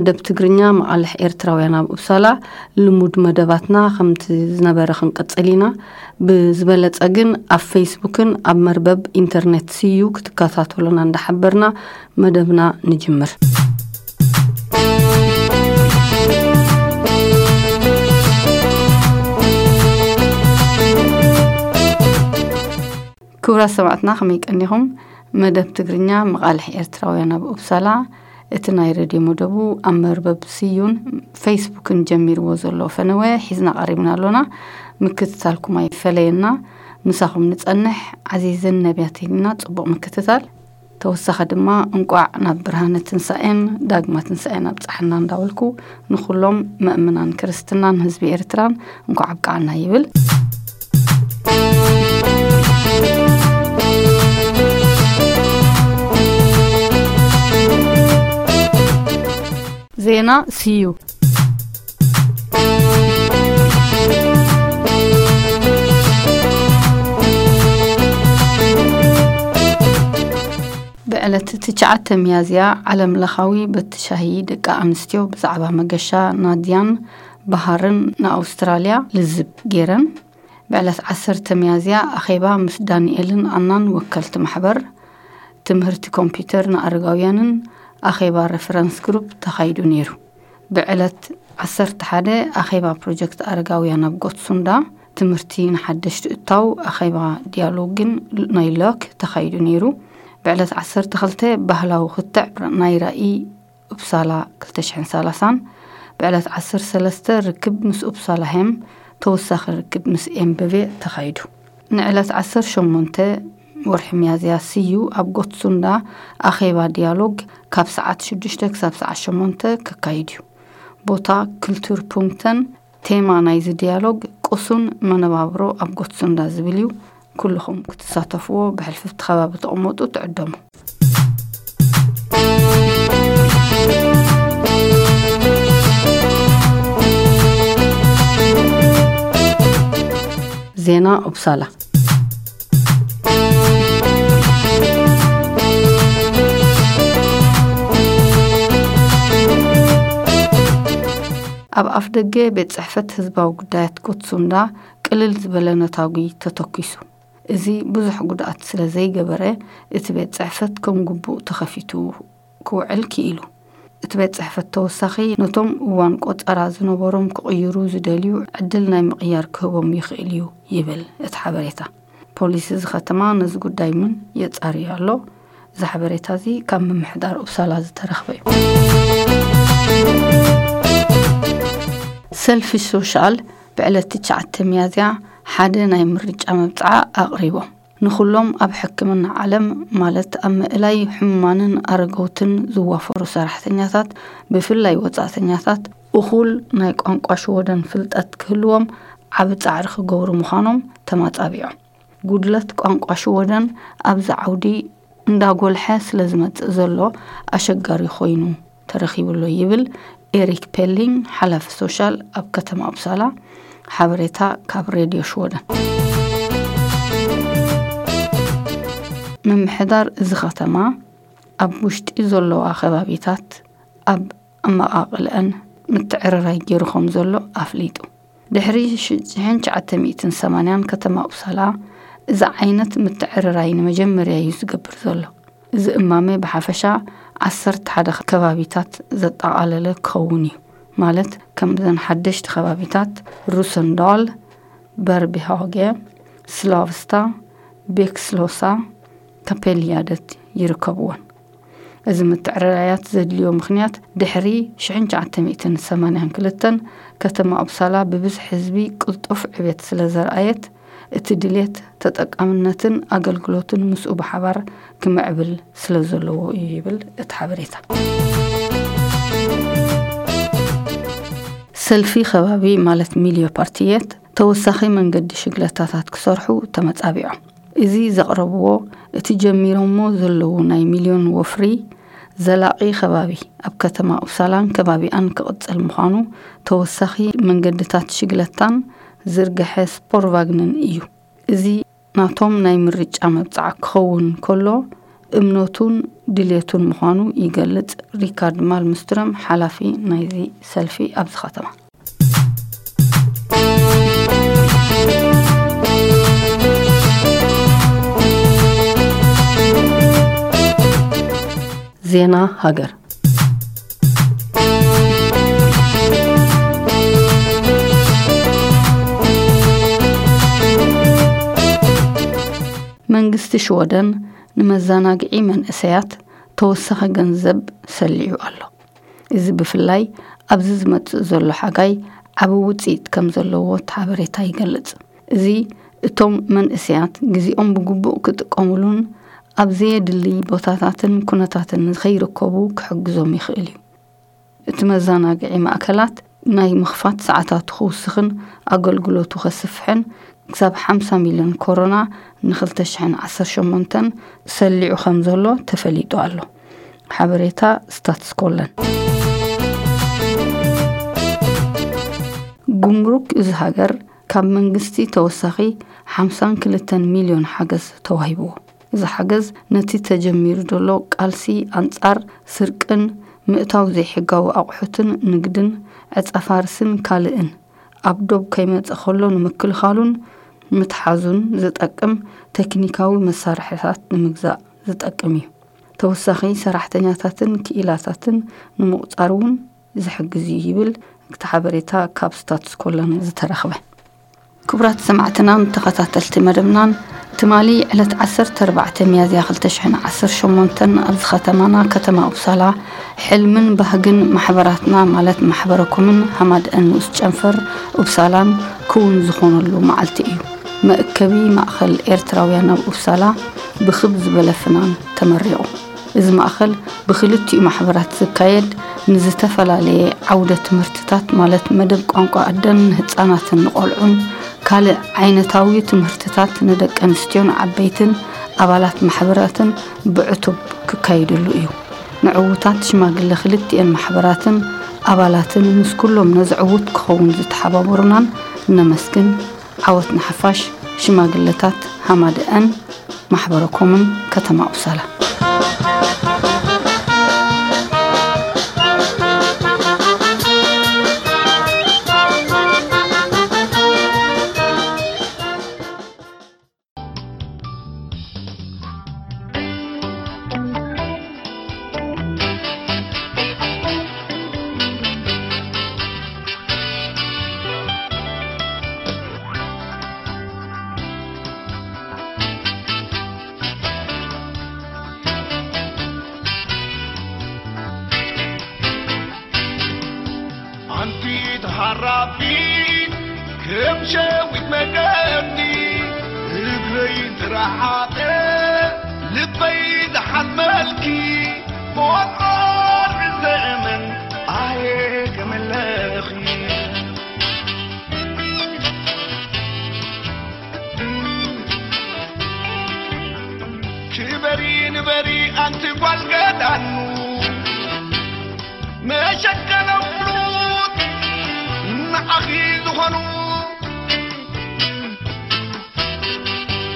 ደብ ትግርኛ መቓልሕ ኤርትራውያን ኣብ ኡፕሳላ ልሙድ መደባትና ከምቲ ዝነበረ ክንቅጽል ኢና። ብዝበለጸ ግን ኣብ ፌስቡክን ኣብ መርበብ ኢንተርኔት ስዩ ክትከታተሉና እንዳሓበርና መደብና ንጅምር። ክቡራት ሰማዕትና ከመይ ቀኒኹም? መደብ ትግርኛ መቓልሕ ኤርትራውያን ኣብ ኡፕሳላ፣ እቲ ናይ ሬድዮ መደቡ ኣብ መርበብ ስዩን ፌስቡክን ጀሚርዎ ዘሎ ፈነወ ሒዝና ቀሪብና ኣሎና። ምክትታልኩም ኣይፈለየና። ምሳኹም ንጸንሕ። ዓዚዝን ነቢያትን ኢና። ጽቡቕ ምክትታል። ተወሳኺ ድማ እንቋዕ ናብ ብርሃነ ትንሳኤን ዳግማ ትንሳኤን ኣብጽሓና እንዳበልኩ፣ ንኹሎም መእምናን ክርስትናን ህዝቢ ኤርትራን እንቋዕ ኣብቅዓና ይብል። ዜና ስዩ። ብዕለት ትሽዓተ ሚያዝያ ዓለም ለኻዊ በቲ ሻሂ ደቂ ኣንስትዮ ብዛዕባ መገሻ ናድያን ባህርን ንኣውስትራልያ ልዝብ ገይረን። ብዕለት ዓሰርተ ሚያዝያ ኣኼባ ምስ ዳንኤልን ኣናን ወከልቲ ማሕበር ትምህርቲ ኮምፒውተር ንኣረጋውያንን ኣኼባ ሬፈረንስ ግሩፕ ተኻይዱ ነይሩ። ብዕለት ዓሰርተ ሓደ ኣኼባ ፕሮጀክት ኣረጋውያን ኣብ ጎትሱንዳ ትምህርቲ ንሓደሽቲ እታው ኣኼባ ዲያሎግን ናይ ሎክ ተኻይዱ ነይሩ። ብዕለት ዓሰርተ ክልተ ባህላዊ ክትዕ ናይ ራኢ ኡፕሳላ ክልተ ሽሕን ሰላሳን፣ ብዕለት ዓሰርተ ሰለስተ ርክብ ምስ ኡፕሳላ ሄም ተወሳኺ ርክብ ምስ ኤምበቬ ተኻይዱ። ንዕለት ዓሰርተ ሸሞንተ ወርሒ ሚያዝያ ስዩ ኣብ ጎትሱንዳ ኣኼባ ዲያሎግ ካብ ሰዓት ሽዱሽተ ክሳብ ሰዓት ሸሞንተ ከካይድ እዩ። ቦታ ክልቱር ፑንክተን። ቴማ ናይዚ ዲያሎግ ቁሱን መነባብሮ ኣብ ጎትሱንዳ ዝብል እዩ። ኩልኹም ክትሳተፍዎ ብሕልፍቲ ከባቢ ተቐመጡ ትዕደሙ። ዜና ኡፕሳላ። ኣብ ኣፍ ደገ ቤት ጽሕፈት ህዝባዊ ጉዳያት ጎትሱንዳ ቅልል ዝበለ ነታጒ ተተኲሱ። እዚ ብዙሕ ጉድኣት ስለ ዘይገበረ፣ እቲ ቤት ጽሕፈት ከም ግቡእ ተኸፊቱ ክውዕል ክኢሉ። እቲ ቤት ጽሕፈት ተወሳኺ ነቶም እዋን ቆጸራ ዝነበሮም ክቕይሩ ዝደልዩ ዕድል ናይ ምቕያር ክህቦም ይኽእል እዩ ይብል እቲ ሓበሬታ። ፖሊስ እዚ ከተማ ነዚ ጉዳይ እውን የጻርዮ ኣሎ። እዚ ሓበሬታ እዚ ካብ ምምሕዳር ኡፕሳላ ዝተረኽበ እዩ። ሰልፊ ሶሻል ብዕለት ትሽዓተ ሚያዝያ ሓደ ናይ ምርጫ መብጽዓ ኣቕሪቦም። ንኹሎም ኣብ ሕክምና ዓለም፣ ማለት ኣብ ምእላይ ሕሙማንን ኣረገውትን ዝዋፈሩ ሰራሕተኛታት፣ ብፍላይ ወጻእተኛታት፣ እኹል ናይ ቋንቋ ሽወደን ፍልጠት ክህልዎም ዓቢ ጻዕሪ ክገብሩ ምዃኖም ተማጻቢዖም። ጉድለት ቋንቋ ሽወደን ኣብዚ ዓውዲ እንዳጎልሐ ስለ ዝመጽእ ዘሎ ኣሸጋሪ ኮይኑ ተረኺቡ ኣሎ ይብል ኤሪክ ፔሊንግ፣ ሓላፊ ሶሻል ኣብ ከተማ ኡፕሳላ። ሓበሬታ ካብ ሬድዮ ሽወደን። ምምሕዳር እዚ ከተማ ኣብ ውሽጢ ዘለዋ ከባቢታት ኣብ ኣመቓቕልአን ምትዕርራይ ገይሩ ከም ዘሎ ኣፍሊጡ። ድሕሪ ሽ-፣ ሽሕን ትሽዓተ ሚእትን ሰማንያን ከተማ ኡፕሳላ እዚ ዓይነት ምትዕርራይ ንመጀመርያ እዩ ዝገብር ዘሎ። እዚ እማመ ብሓፈሻ ዓሰርተ ሓደ ከባቢታት ዘጠቓለለ ክኸውን እዩ። ማለት ከምዘን ሓደሽቲ ከባቢታት ሩሰንዳል፣ በርቢሃገ፣ ስላቭስታ፣ ቤክስሎሳ፣ ካፔልያደት ይርከብወን። እዚ ምትዕርራያት ዘድልዮ ምኽንያት ድሕሪ ሽሕን ትሽዓተ ሚእትን ሰማንያን ክልተን ከተማ ኡፕሳላ ብብዝሒ ህዝቢ ቅልጡፍ ዕቤት ስለ ዘርኣየት፣ እቲ ድሌት ተጠቃምነትን ኣገልግሎትን ምስኡ ብሓባር ክምዕብል ስለ ዘለዎ እዩ ይብል እቲ ሓበሬታ። ሰልፊ ከባቢ ማለት ሚልዮ ፓርቲየት ተወሳኺ መንገዲ ሽግለታታት ክሰርሑ ተመጻቢዖም። እዚ ዘቕረብዎ እቲ ጀሚሮሞ ዘለዉ ናይ ሚልዮን ወፍሪ ዘላቒ ከባቢ ኣብ ከተማ ኡፕሳላን ከባቢኣን ክቕጽል ምዃኑ፣ ተወሳኺ መንገድታት ሽግለታን ዝርግሐ ስፖርቫግንን እዩ። እዚ ናቶም ናይ ምርጫ መብጽዓ ክኸውን ከሎ፣ እምነቱን ድልየቱን ምዃኑ ይገልጽ። ሪካርድ ማልምስትረም፣ ሓላፊ ናይዚ ሰልፊ ኣብዚ ከተማ። ዜና ሃገር። መንግስቲ ሽወደን ንመዘናግዒ መንእሰያት ተወሳኺ ገንዘብ ሰሊዑ ኣሎ። እዚ ብፍላይ ኣብዚ ዝመጽእ ዘሎ ሓጋይ ዓቢ ውጽኢት ከም ዘለዎ እቲ ሓበሬታ ይገልጽ። እዚ እቶም መንእሰያት ግዜኦም ብግቡእ ክጥቀሙሉን ኣብ ዘየድሊ ቦታታትን ኩነታትን ንኸይርከቡ ክሕግዞም ይኽእል እዩ። እቲ መዘናግዒ ማእከላት ናይ ምኽፋት ሰዓታቱ ክውስኽን ኣገልግሎቱ ከስፍሕን ክሳብ ሓምሳ ሚልዮን ኮሮና ን ክልተ ሽሕን ዓሰርተ ሸሞንተን ሰሊዑ ከም ዘሎ ተፈሊጡ ኣሎ። ሓበሬታ ስታትስኮለን። ጉምሩክ እዚ ሃገር ካብ መንግስቲ ተወሳኺ ሓምሳን ክልተን ሚልዮን ሓገዝ ተዋሂብዎ። እዚ ሓገዝ ነቲ ተጀሚሩ ዘሎ ቃልሲ ኣንጻር ስርቅን ምእታው ዘይሕጋዊ ኣቑሑትን ንግድን ዕጸፋርስን ካልእን ኣብ ዶብ ከይመጸ ከሎ ንምክልኻሉን ምትሓዙን ዝጠቅም ቴክኒካዊ መሳርሕታት ንምግዛእ ዝጠቅም እዩ። ተወሳኺ ሰራሕተኛታትን ክኢላታትን ንምቑጻር እውን ዝሕግዝ እዩ ይብል እቲ ሓበሬታ ካብ ስታትስኮለን ዝተረኽበ። ክቡራት ሰማዕትናን ተኸታተልቲ መደብናን፣ ትማሊ ዕለት ዓሰርተ ኣርባዕተ ሚያዝያ ክልተ ሽሕን ዓሰርተ ሸሞንተን ኣብዚ ከተማና፣ ከተማ ኡፕሳላ፣ ሕልምን ባህግን ማሕበራትና፣ ማለት ማሕበረኮምን ሃማድአን ንኡስ ጨንፈር ኡፕሳላን ክውን ዝኾነሉ መዓልቲ እዩ። መእከቢ ማእኸል ኤርትራውያን ኣብ ኡፕሳላ ብኽብ ዝበለ ፍናን ተመሪቑ። እዚ ማእኸል ብክልቲኡ ማሕበራት ዝካየድ ንዝተፈላለየ ዓውደ ትምህርትታት፣ ማለት መደብ ቋንቋ ኣደን ንህፃናትን ንቆልዑን፣ ካልእ ዓይነታዊ ትምህርትታት ንደቂ ኣንስትዮን ዓበይትን ኣባላት ማሕበራትን ብዕቱብ ክካየደሉ እዩ። ንዕዉታት ሽማግለ ክልቲኤን ማሕበራትን ኣባላትን ምስ ኩሎም ነዚ ዕዉት ክኸውን ዝተሓባበሩናን ነመስግን። ዓወት ንሓፋሽ። ሽማግለታት ሃማደአን ማሕበረ ኮሙን ከተማ ኡፕሳላ። ኣንቲ ተሃራፊት ከም ሸዊት መገዲ፣ እግረይ ዝረሓቐ ልበይ ዝሓመልኪ፣ ቆርቆር ዘመን ኣየ ከመለኺ። ክበሪ ንበሪ ኣንቲ ጓል ገዳኑ፣ መሸከነ ፍሉጥ ንዓኺ ዝኾኑ፣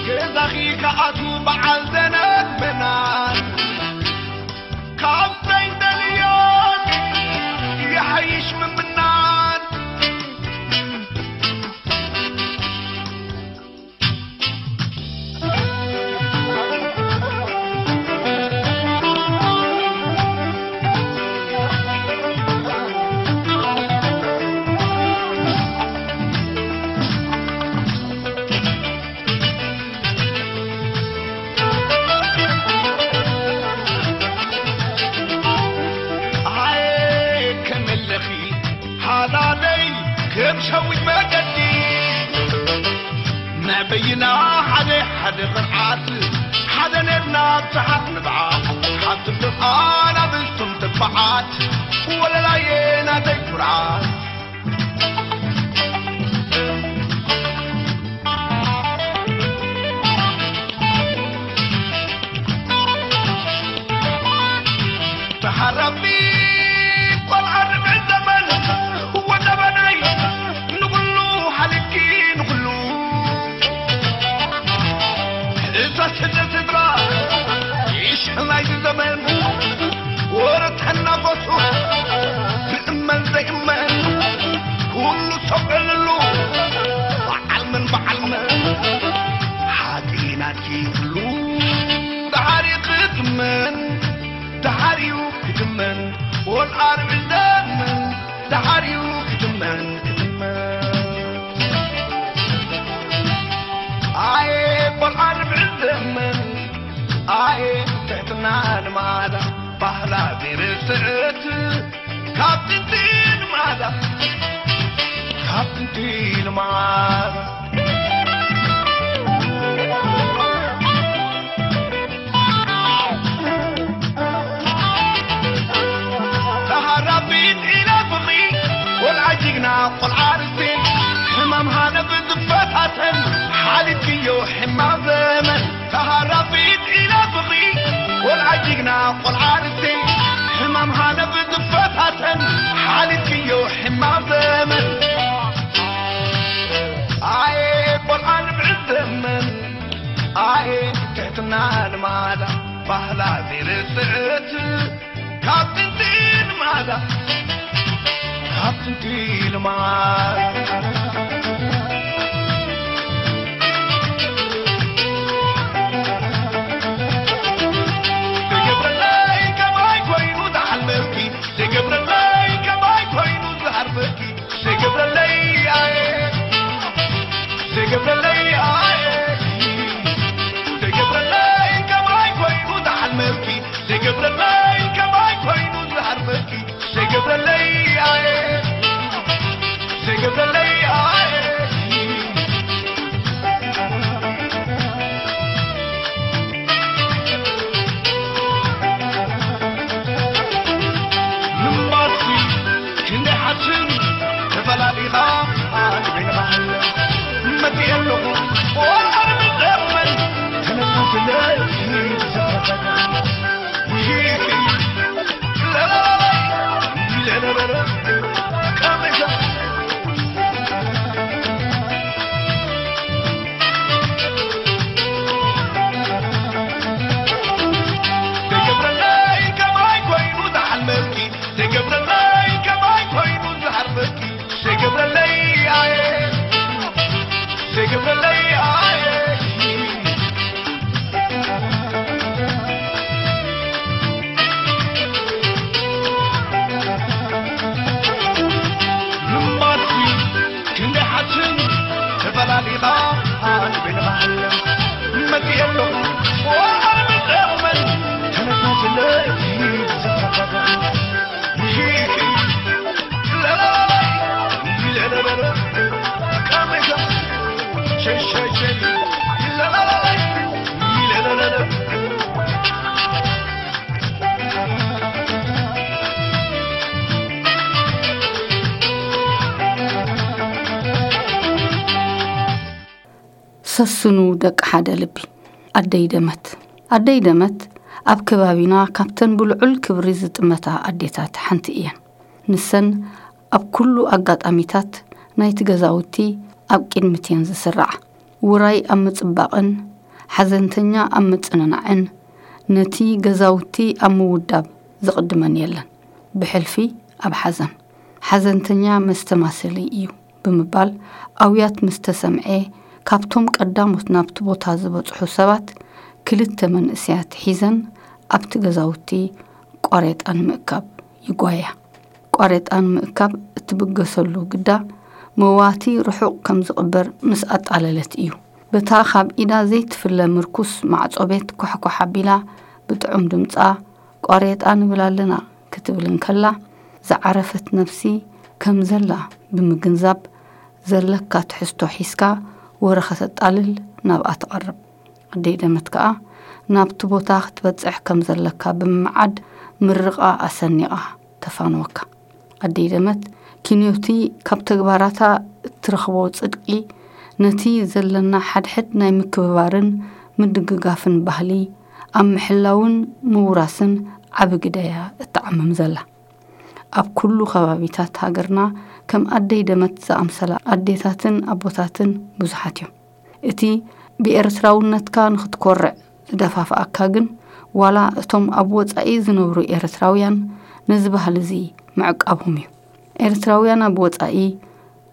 ገዛኺ ከኣቱ በዓል ዘነብ መናን፣ ካብ ዘይደልዮን ይሓይሽ ምምናን። ኣየ ከመለኺ ሃላለይ ከም ሸዊት መገዲ፣ ናይ በይና ሓደ ሓደ ቅርዓት፣ ሓደ ነብና ብዙሓት ንብዓት፣ ሓንቲ ፍቓድ ኣብ እዝቶም ተባዓት፣ ወለላየ ናተይ ኩርዓት። ተሓራቢ ቆልዓ ርብዒ ዘመን ወደበናይ ንኹሉ ሓሊፍኪ ንኹሉ እዛ ስደት ስድራ ይሽ ኩሉ ሰብ ዕልሉ፣ በዓል መን በዓል መን፣ ሓቂ ናትኪ ኩሉ፣ ደሓር እዩ ክትመን፣ ደሓር እዩ ክትመን፣ ወልዓር ዕልደመን፣ ደሓር እዩ ክትመን፣ ክትመን። ኣየ ቆልዓ ንብዕል ዘመን፣ ኣየ ትሕትና ልማዳ፣ ባህላ ዘይርስዕት፣ ካብ ጥንቲ ልማዳ፣ ካብ ጥንቲ ልማዳ። ተሃራቢት ኢላ ፍቕሪ፣ ቆልዓ ጅግና፣ ቆልዓ ርስቲ፣ ሕማም ሃነብ ዝፈታተን፣ ሓሊፍክዮ ሕማም ዘመን። ተሃራቢት ኢላ ፍቕሪ፣ ቆልዓ ጅግና፣ ቆልዓ ርስቲ፣ ሕማም ሃነብ ዝፈታተን፣ ሓሊፍክዮ ሕማም ዘመን። ኣየ ቆልዓ ንብዕል ዘመን፣ ኣየ ትሕትና ልማዳ፣ ባህላ ዘይርስዕት፣ ካብ ጥንቲ ልማዳ፣ ካብ ጥንቲ ልማዳ። ዘይገብረለይ ከማይ ኮይኑ ዝሓልመኪ፣ ዘይገብረለይ ከማይ ኮይኑ ዝሃርመኪ፣ ዘይገብረለይ ኣየ፣ ዘይገብረለይ ኣየ፣ ዘይገብረለይ ከማይ ኮይኑ ዝሓልመኪ፣ ዘይገብረለይ ከማይ ኮይኑ ዝሃርመኪ፣ ዘይገብረለይ ኣየ፣ ዘይገብረለይ ኣየ። ምንባርሲ ክንደይ ሓስን ተፈላሊኻ ኣንበይንኻ መፅእ ኣለኹ። ወርዓር ምዘመን ተነሳስለ ዝዘፈቀ ምንባርሲ ክንደይ ሓስን ተፈላሊኻ ኣንበይንኻ መፅእ ኣለኹ። ወርዓር ምዘመን ተነሳስለ ዝዘፈቀ ሰስኑ ደቂ ሓደ ልቢ። ኣደይ ደመት። ኣደይ ደመት ኣብ ከባቢና ካብተን ብልዑል ክብሪ ዝጥመታ ኣዴታት ሓንቲ እየን። ንሰን ኣብ ኩሉ ኣጋጣሚታት ናይቲ ገዛውቲ ኣብ ቅድሚት እየን ዝስርዓ። ውራይ ኣብ ምጽባቕን ሓዘንተኛ ኣብ ምጽንናዕን፣ ነቲ ገዛውቲ ኣብ ምውዳብ ዝቕድመን የለን። ብሕልፊ ኣብ ሓዘን፣ ሓዘንተኛ መስተማሰሊ እዩ ብምባል ኣውያት ምስ ተሰምዐ፣ ካብቶም ቀዳሞት ናብቲ ቦታ ዝበጽሑ ሰባት ክልተ መንእሰያት ሒዘን ኣብቲ ገዛውቲ ቋሬጣ ንምእካብ ይጓያ። ቋሬጣ ንምእካብ እትብገሰሉ ግዳ መዋቲ ርሑቕ ከም ዝቕበር ምስ ኣጣለለት እዩ። በታ ካብ ኢዳ ዘይትፍለ ምርኩስ ማዕጾ ቤት ኳሕኳሕ ኣቢላ ብጥዑም ድምጻ፣ "ቋሬጣ ንብል ኣለና" ክትብል እንከላ፣ ዝዓረፈት ነፍሲ ከም ዘላ ብምግንዛብ፣ ዘለካ ትሕዝቶ ሒዝካ ወረ ከተጣልል ናብኣ ትቐርብ። ኣደይ ደመት ከኣ ናብቲ ቦታ ክትበጽሕ ከም ዘለካ ብምምዓድ ምርቓ ኣሰኒቓ ተፋንወካ። ኣደይ ደመት፣ ኪንዮቲ ካብ ተግባራታ እትረኽቦ ጽድቂ፣ ነቲ ዘለና ሓድሕድ ናይ ምክብባርን ምድግጋፍን ባህሊ ኣብ ምሕላውን ምውራስን ዓቢ ግደ እያ እትዓምም ዘላ። ኣብ ኩሉ ከባቢታት ሃገርና ከም ኣደይ ደመት ዝኣምሰላ ኣዴታትን ኣቦታትን ብዙሓት እዮም። እቲ ብኤርትራውነትካ ንኽትኮርዕ ዝደፋፍኣካ ግን፣ ዋላ እቶም ኣብ ወጻኢ ዝነብሩ ኤርትራውያን ነዚ ባህሊ እዚ ምዕቃቦም እዩ። ኤርትራውያን ኣብ ወጻኢ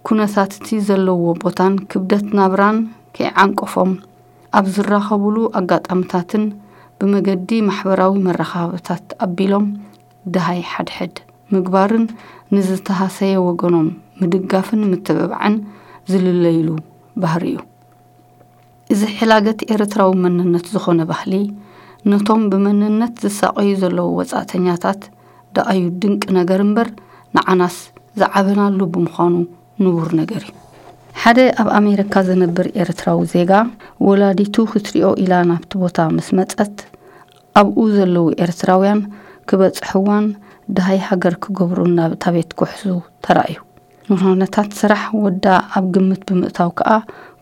ኩነታት እቲ ዘለዎ ቦታን ክብደት ናብራን ከይዓንቀፎም፣ ኣብ ዝራኸቡሉ ኣጋጣምታትን ብመገዲ ማሕበራዊ መራኸብታት ኣቢሎም ደሃይ ሓድሕድ ምግባርን ንዝተሃሰየ ወገኖም ምድጋፍን ምትብባዕን ዝልለይሉ ባህሪ እዩ። እዚ ሕላገት ኤርትራዊ መንነት ዝኾነ ባህሊ፣ ነቶም ብመንነት ዝሳቐዩ ዘለዉ ወጻእተኛታት ደኣዩ ድንቂ ነገር እምበር፣ ንዓናስ ዝዓበናሉ ብምዃኑ ንቡር ነገር እዩ። ሓደ ኣብ ኣሜሪካ ዝነብር ኤርትራዊ ዜጋ፣ ወላዲቱ ክትሪኦ ኢላ ናብቲ ቦታ ምስ መጸት፣ ኣብኡ ዘለዉ ኤርትራውያን ክበጽሕዋን ደሃይ ሃገር ክገብሩን ናብ እታ ቤት ኩሕሱ ተራእዩ። ንኹነታት ስራሕ ወዳ ኣብ ግምት ብምእታው ከኣ፣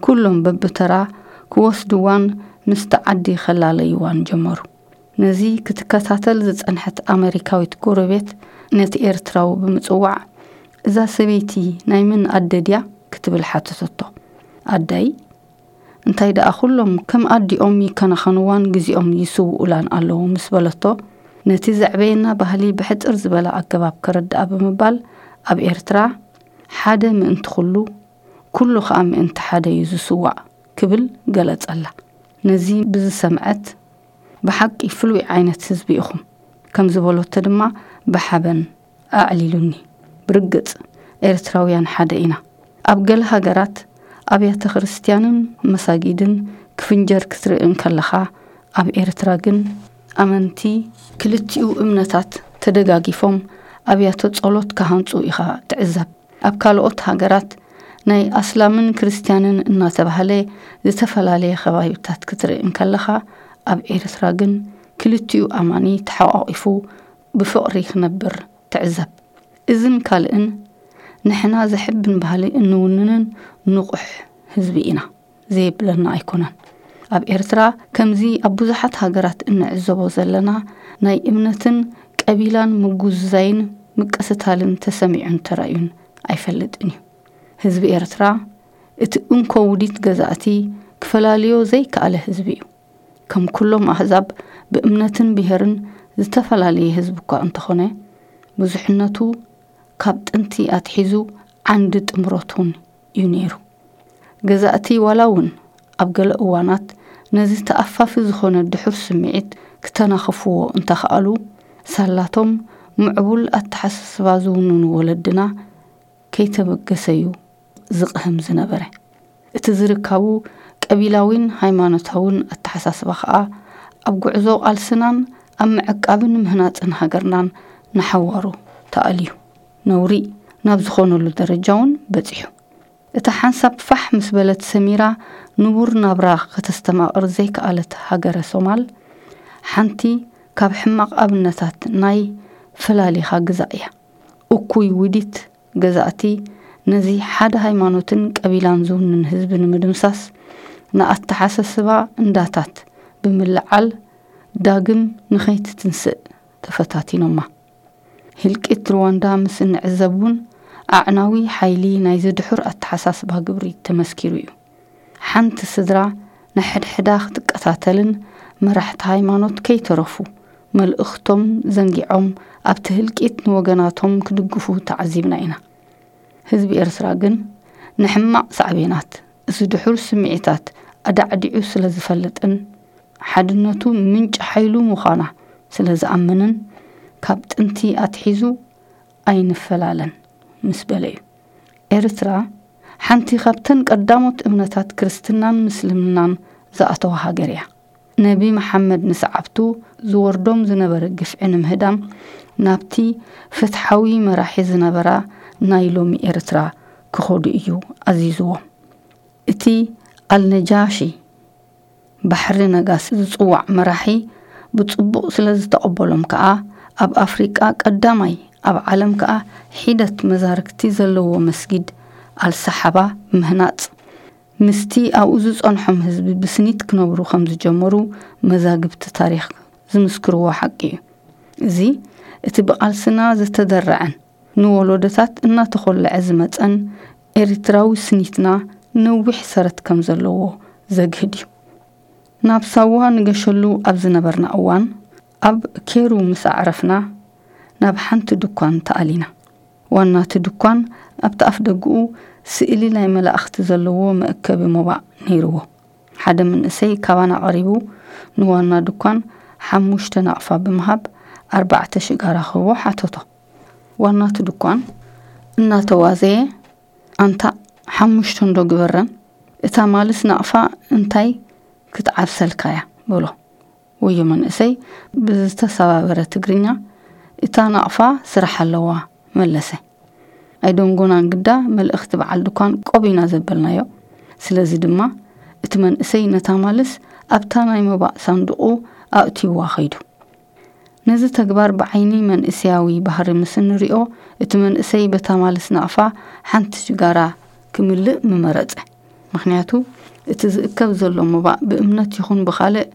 ኩሎም በብተራ ክወስድዋን ምስቲ ዓዲ ከላለይዋን ጀመሩ። ነዚ ክትከታተል ዝጸንሐት ኣመሪካዊት ጎረቤት፣ ነቲ ኤርትራዊ ብምጽዋዕ፣ "እዛ ሰበይቲ ናይ መን ኣደ ድያ?" ክትብል ሓተተቶ። "ኣደይ?" "እንታይ ደኣ፣ ኩሎም ከም ኣዲኦም ይከናኸንዋን ግዜኦም ይስውኡላን ኣለዉ" ምስ በለቶ፣ ነቲ ዘዕበየና ባህሊ ብሕጽር ዝበለ ኣገባብ ከረድኣ ብምባል፣ ኣብ ኤርትራ ሓደ ምእንቲ ኩሉ፣ ኩሉ ኸኣ ምእንቲ ሓደ እዩ ዝስዋእ ክብል ገለጸላ። ነዚ ብዝሰምዐት፣ "ብሓቂ ፍሉይ ዓይነት ህዝቢ ኢኹም" ከም ዝበሎቶ ድማ ብሓበን ኣዕሊሉኒ። ብርግጽ ኤርትራውያን ሓደ ኢና። ኣብ ገለ ሃገራት ኣብያተ ክርስትያንን መሳጊድን ክፍንጀር ክትርኢ እንከለኻ፣ ኣብ ኤርትራ ግን ኣመንቲ ክልቲኡ እምነታት ተደጋጊፎም ኣብያተ ጸሎት ክሃንጹ ኢኻ ትዕዘብ። ኣብ ካልኦት ሃገራት ናይ ኣስላምን ክርስትያንን እናተባህለ ዝተፈላለየ ከባቢታት ክትርኢ እንከለኻ፣ ኣብ ኤርትራ ግን ክልቲኡ ኣማኒ ተሓቋቒፉ ብፍቕሪ ክነብር ትዕዘብ። እዝን ካልእን ንሕና ዘሕብን ባህሊ እንውንንን ንቑሕ ህዝቢ ኢና፣ ዘየብለና ኣይኮነን። ኣብ ኤርትራ ከምዚ ኣብ ብዙሓት ሃገራት እንዕዘቦ ዘለና ናይ እምነትን ቀቢላን ምጉዝዛይን ምቅስታልን ተሰሚዑን ተራእዩን ኣይፈልጥን እዩ። ህዝቢ ኤርትራ እቲ እንኮ ውዲት ገዛእቲ ክፈላልዮ ዘይከኣለ ህዝቢ እዩ። ከም ኩሎም ኣህዛብ ብእምነትን ብሄርን ዝተፈላለየ ህዝቢ እኳ እንተኾነ፣ ብዙሕነቱ ካብ ጥንቲ ኣትሒዙ ዓንዲ ጥምረቱን እዩ ነይሩ። ገዛእቲ ዋላ እውን ኣብ ገለ እዋናት ነዚ ተኣፋፊ ዝኾነ ድሑር ስምዒት ክተናኽፍዎ እንተኸኣሉ፣ ሳላቶም ምዕቡል ኣተሓሳስባ ዝውንኑ ወለድና ከይተበገሰ እዩ ዝቕህም ዝነበረ። እቲ ዝርካቡ ቀቢላዊን ሃይማኖታውን ኣተሓሳስባ ኸኣ ኣብ ጉዕዞ ቃልስናን ኣብ ምዕቃብን ምህናጽን ሃገርናን ንሓዋሩ ተኣልዩ፣ ነውሪ ናብ ዝኾነሉ ደረጃ እውን በጺሑ። እታ ሓንሳብ ፋሕ ምስ በለት ሰሚራ ንቡር ናብራ ከተስተማቕር ዘይከኣለት ሃገረ ሶማል፣ ሓንቲ ካብ ሕማቕ ኣብነታት ናይ ፈላሊኻ ግዛእ እያ። እኩይ ውዲት ገዛእቲ ነዚ ሓደ ሃይማኖትን ቀቢላን ዝውንን ህዝቢ ንምድምሳስ፣ ንኣተሓሳስባ እንዳታት ብምልዓል ዳግም ንኸይትትንስእ ተፈታቲኖማ። ህልቂት ሩዋንዳ ምስ እንዕዘብ እውን፣ ኣዕናዊ ሓይሊ ናይዚ ድሑር ኣተሓሳስባ ግብሪ ተመስኪሩ እዩ። ሓንቲ ስድራ ንሕድሕዳ ክትቀታተልን መራሕቲ ሃይማኖት ከይተረፉ መልእኽቶም ዘንጊዖም ኣብቲ ህልቂት ንወገናቶም ክድግፉ ተዓዚብና ኢና። ህዝቢ ኤርትራ ግን ንሕማቕ ሳዕቤናት እዚ ድሑር ስምዒታት ኣዳዕዲዑ ስለ ዝፈልጥን፣ ሓድነቱ ምንጪ ሓይሉ ምዃና ስለ ዝኣምንን፣ ካብ ጥንቲ ኣትሒዙ ኣይንፈላለን ምስ በለ እዩ። ኤርትራ ሓንቲ ካብተን ቀዳሞት እምነታት ክርስትናን ምስልምናን ዝኣተዋ ሃገር እያ። ነቢ መሓመድ ንሰዓብቱ ዝወርዶም ዝነበረ ግፍዒ ንምህዳም፣ ናብቲ ፍትሓዊ መራሒ ዝነበራ ናይ ሎሚ ኤርትራ ክኸዱ እዩ ኣዚዝዎም። እቲ ኣልነጃሺ ባሕሪ ነጋሲ ዝጽዋዕ መራሒ ብጽቡቕ ስለ ዝተቐበሎም ከኣ፣ ኣብ ኣፍሪቃ ቀዳማይ፣ ኣብ ዓለም ከኣ ሒደት መዛርግቲ ዘለዎ መስጊድ ኣልሰሓባ ምህናጽ፣ ምስቲ ኣብኡ ዝጸንሖም ህዝቢ ብስኒት ክነብሩ ከም ዝጀመሩ መዛግብቲ ታሪኽ ዝምስክርዎ ሓቂ እዩ። እዚ እቲ ብቓልስና ዝተደረዐን ንወለዶታት እናተኾልዐ ዝመጸን ኤርትራዊ ስኒትና ነዊሕ ሰረት ከም ዘለዎ ዘግህድ እዩ። ናብ ሳዋ ንገሸሉ ኣብ ዝነበርና እዋን፣ ኣብ ኬሩ ምስ ኣዕረፍና፣ ናብ ሓንቲ ድኳን ተኣሊና። ዋናቲ ድኳን ኣብቲ ኣፍ ደግኡ ስእሊ ናይ መላእኽቲ ዘለዎ መእከቢ ሞባእ ነይርዎ። ሓደ መንእሰይ ካባና ቀሪቡ ንዋና ድኳን ሓሙሽተ ናቕፋ ብምሃብ ኣርባዕተ ሽጋራ ክህቦ ሓተቶ። ዋናቲ ድኳን እናተዋዘየ፣ "ኣንታ ሓሙሽተ እንዶ ግበረን፣ እታ ማልስ ናቕፋ እንታይ ክትዓብሰልካያ?" በሎ። ወዮ መንእሰይ ብዝተሰባበረ ትግርኛ፣ "እታ ናቕፋ ስራሕ ኣለዋ" መለሰ። ኣይደንጎናን ግዳ፣ መልእኽቲ በዓል ድኳን ቆብ ኢና ዘበልናዮ። ስለዚ ድማ እቲ መንእሰይ ነታ ማልስ ኣብታ ናይ መባእ ሳንዱቑ ኣእትይዋ ኸይዱ። ነዚ ተግባር ብዓይኒ መንእሰያዊ ባህሪ ምስ እንሪኦ፣ እቲ መንእሰይ በታ ማልስ ናቕፋ ሓንቲ ሽጋራ ክምልእ ምመረጸ። ምኽንያቱ እቲ ዝእከብ ዘሎ መባእ ብእምነት ይኹን ብኻልእ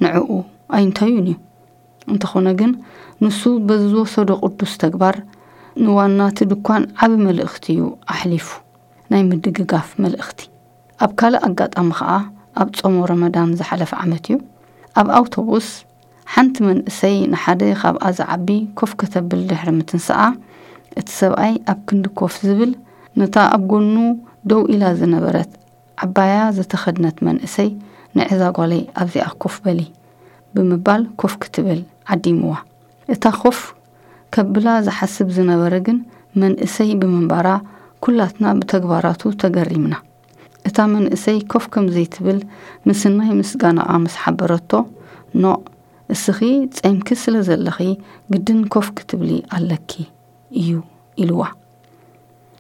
ንዕኡ ኣይንታዩን እዩ። እንተኾነ ግን፣ ንሱ በዚ ዝወሰዶ ቅዱስ ተግባር ንዋናቲ ድኳን ዓቢ መልእኽቲ እዩ ኣሕሊፉ፣ ናይ ምድግጋፍ መልእኽቲ። ኣብ ካልእ ኣጋጣሚ ኸኣ፣ ኣብ ጾሞ ረመዳን ዝሓለፈ ዓመት እዩ፣ ኣብ ኣውቶቡስ ሓንቲ መንእሰይ ንሓደ ካብኣ ዝዓቢ ኮፍ ከተብል ድሕሪ ምትንስኣ፣ እቲ ሰብኣይ ኣብ ክንዲ ኮፍ ዝብል፣ ነታ ኣብ ጎኑ ደው ኢላ ዝነበረት ዓባያ ዝተኸድነት መንእሰይ፣ "ንዕዛ ጓለይ ኣብዚኣ ኮፍ በሊ" ብምባል ኮፍ ክትብል ዓዲምዋ። እታ ኮፍ ከብላ ዝሓስብ ዝነበረ ግን መንእሰይ ብምንባራ፣ ኩላትና ብተግባራቱ ተገሪምና። እታ መንእሰይ ኮፍ ከም ዘይትብል ምስናይ ምስጋናኣ ምስ ሓበረቶ፣ "ኖእ፣ እስኺ ጸይምኪ ስለ ዘለኺ ግድን ኮፍ ክትብሊ ኣለኪ እዩ" ኢልዋ።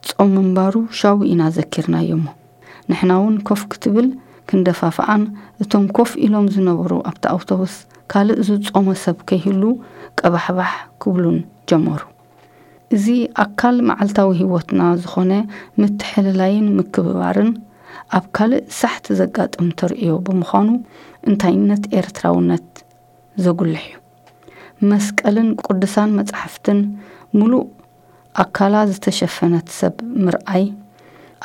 ጾም ምንባሩ ሻው ኢና ዘኪርናዮ እሞ፣ ንሕና እውን ኮፍ ክትብል ክንደፋፍኣን፣ እቶም ኮፍ ኢሎም ዝነበሩ ኣብቲ ኣውቶቡስ ካልእ ዝጾመ ሰብ ከይህሉ ቀባሕባሕ ክብሉን ጀመሩ። እዚ ኣካል መዓልታዊ ህይወትና ዝኾነ ምትሕልላይን ምክብባርን ኣብ ካልእ ሳሕቲ ዘጋጥም ተርእዮ ብምዃኑ፣ እንታይነት ኤርትራውነት ዘጉልሕ እዩ። መስቀልን ቅዱሳን መጻሕፍትን ምሉእ ኣካላ ዝተሸፈነት ሰብ ምርኣይ፣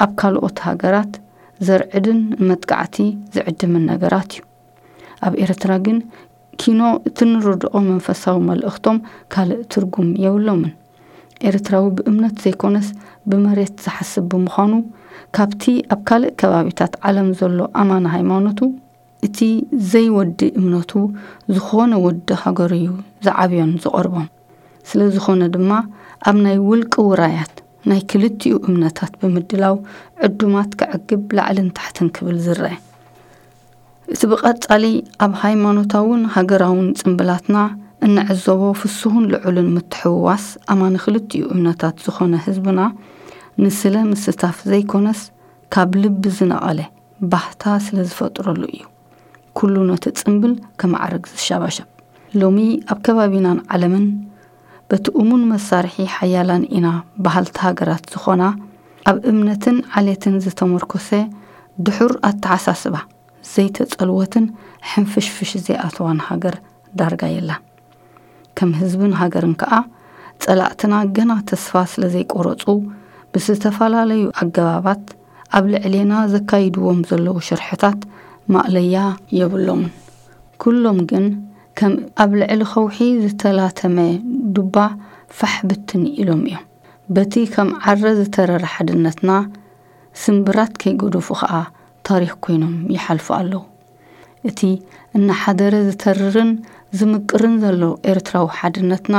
ኣብ ካልኦት ሃገራት ዘርዕድን ንመጥቃዕቲ ዝዕድምን ነገራት እዩ። ኣብ ኤርትራ ግን ኪኖ እቲ ንርድኦ መንፈሳዊ መልእኽቶም ካልእ ትርጉም የብሎምን። ኤርትራዊ ብእምነት ዘይኮነስ ብመሬት ዝሓስብ ብምዃኑ፣ ካብቲ ኣብ ካልእ ከባቢታት ዓለም ዘሎ ኣማኒ ሃይማኖቱ፣ እቲ ዘይወዲ እምነቱ ዝኾነ ወዲ ሃገሩ እዩ ዝዓብዮን ዝቐርቦን። ስለ ዝኾነ ድማ፣ ኣብ ናይ ውልቂ ውራያት ናይ ክልቲኡ እምነታት ብምድላው፣ ዕዱማት ከዕግብ ላዕልን ታሕትን ክብል ዝረአ። እቲ ብቐጻሊ ኣብ ሃይማኖታውን ሃገራውን ጽምብላትና እንዕዘቦ ፍሱሁን ልዑልን ምትሕውዋስ ኣማኒ ክልቲኡ እምነታት ዝኾነ ህዝብና፣ ንስለ ምስታፍ ዘይኮነስ፣ ካብ ልቢ ዝነቐለ ባህታ ስለ ዝፈጥረሉ እዩ። ኩሉ ነቲ ጽምብል ከማዕርግ ዝሻባሸብ። ሎሚ ኣብ ከባቢናን ዓለምን በቲ እሙን መሳርሒ ሓያላን ኢና በሃልቲ ሃገራት ዝኾና፣ ኣብ እምነትን ዓሌትን ዝተመርኮሰ ድሑር ኣተሓሳስባ ዘይተጸልወትን ሕንፍሽፍሽ ዘይኣተዋን ሃገር ዳርጋ የላን። ከም ህዝብን ሃገርን ከኣ፣ ጸላእትና ገና ተስፋ ስለ ዘይቆረጹ፣ ብዝተፈላለዩ ኣገባባት ኣብ ልዕሌና ዘካይድዎም ዘለዉ ሽርሕታት ማእለያ የብሎምን። ኩሎም ግን ከም ኣብ ልዕሊ ከውሒ ዝተላተመ ዱባ ፋሕ ብትን ኢሎም እዮም። በቲ ከም ዓረ ዝተረረ ሓድነትና ስምብራት ከይገደፉ ከኣ ታሪኽ ኮይኖም ይሓልፉ ኣለዉ። እቲ እናሓደረ ዝተርርን ዝምቅርን ዘሎ ኤርትራዊ ሓድነትና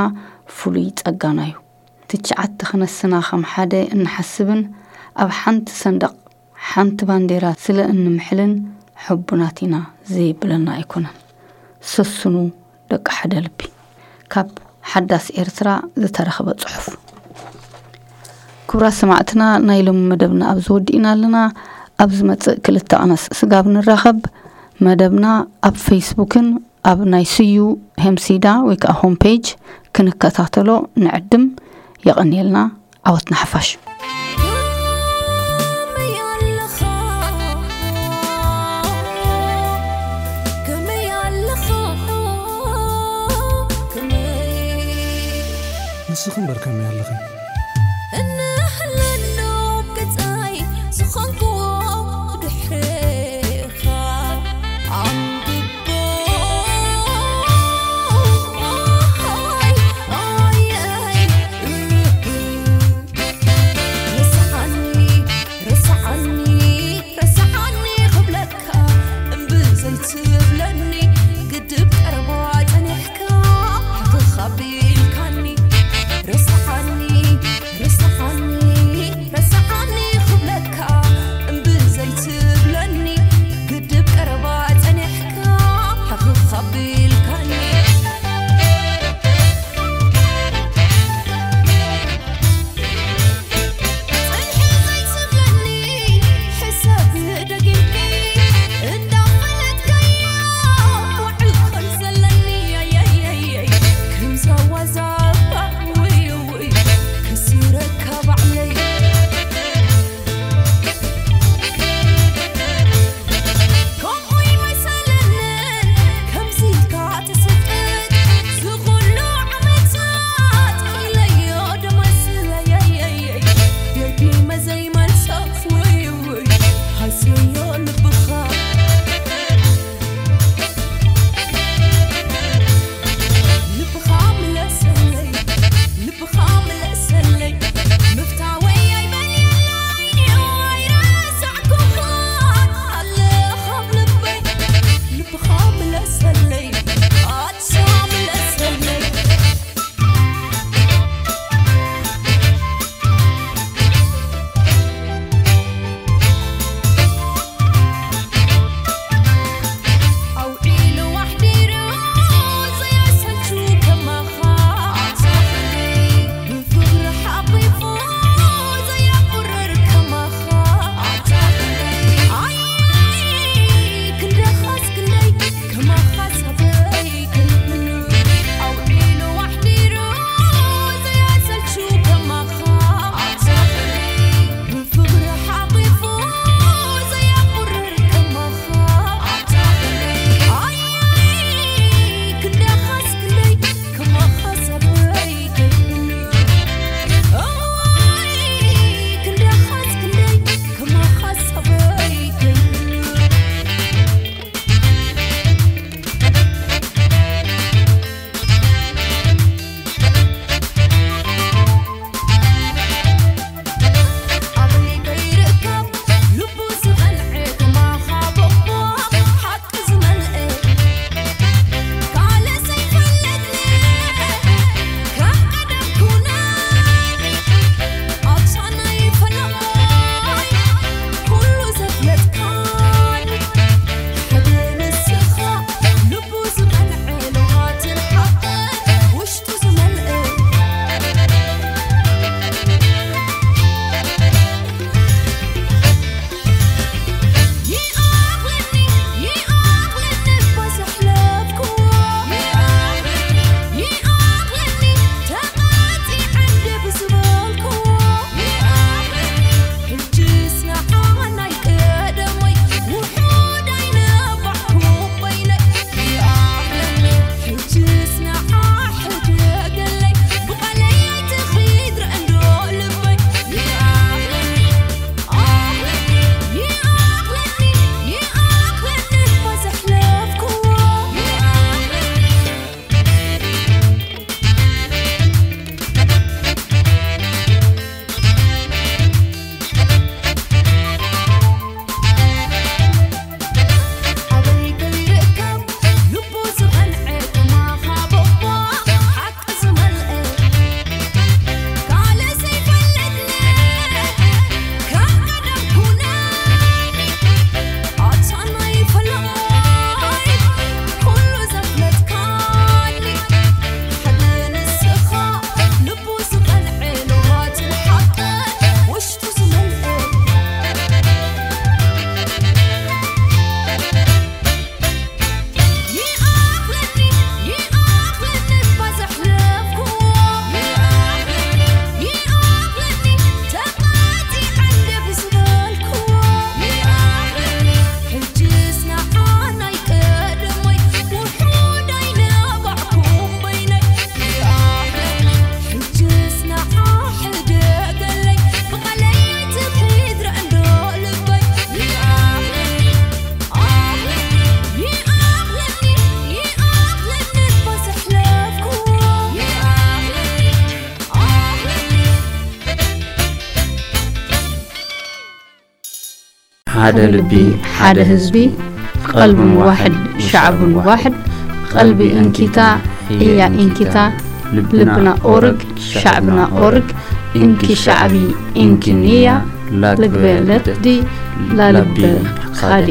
ፍሉይ ጸጋና እዩ። ትሽዓተ ክነስና ከም ሓደ እንሓስብን ኣብ ሓንቲ ሰንደቕ ሓንቲ ባንዴራ ስለ እንምሕልን ሕቡናት ኢና ዘየብለና ኣይኮነን። ሰስኑ ደቂ ሓደ ልቢ። ካብ ሓዳስ ኤርትራ ዝተረኽበ ጽሑፍ። ክቡራት ሰማዕትና፣ ናይ ሎሚ መደብና ኣብዚ ወዲእና ኣለና። ኣብ ዝመጽእ ክልተ ቀናት ስጋብ ንራኸብ፣ መደብና ኣብ ፌስቡክን ኣብ ናይ ስዩ ሄምሲዳ ወይ ከዓ ሆም ፔጅ ክንከታተሎ ንዕድም። የቐንየልና። ዓወት ንሓፋሽ። ከመይ ኣለኻ? ከመይ ኣለኻ? ከመይ ንስኺ እምበር ከመይ ኣለኺ? እንሕለኖ ገጻይ ዝኾንክዎ ድሕሬኻ ኣንብቦ። ኣይ፣ ኣይ፣ ኣይ። ሓደ ልቢ፣ ሓደ ህዝቢ፣ ቀልብን ዋሕድ፣ ሸዕብን ዋሕድ፣ ቀልቢ እንኪታ፣ እያ እንኪታ፣ ልብና ኦርግ፣ ሸዕብና ኦርግ፣ እንኪ ሸዕቢ፣ እንኪ ንያ፣ ላግበ ለትዲ፣ ላልበ ኻዲ።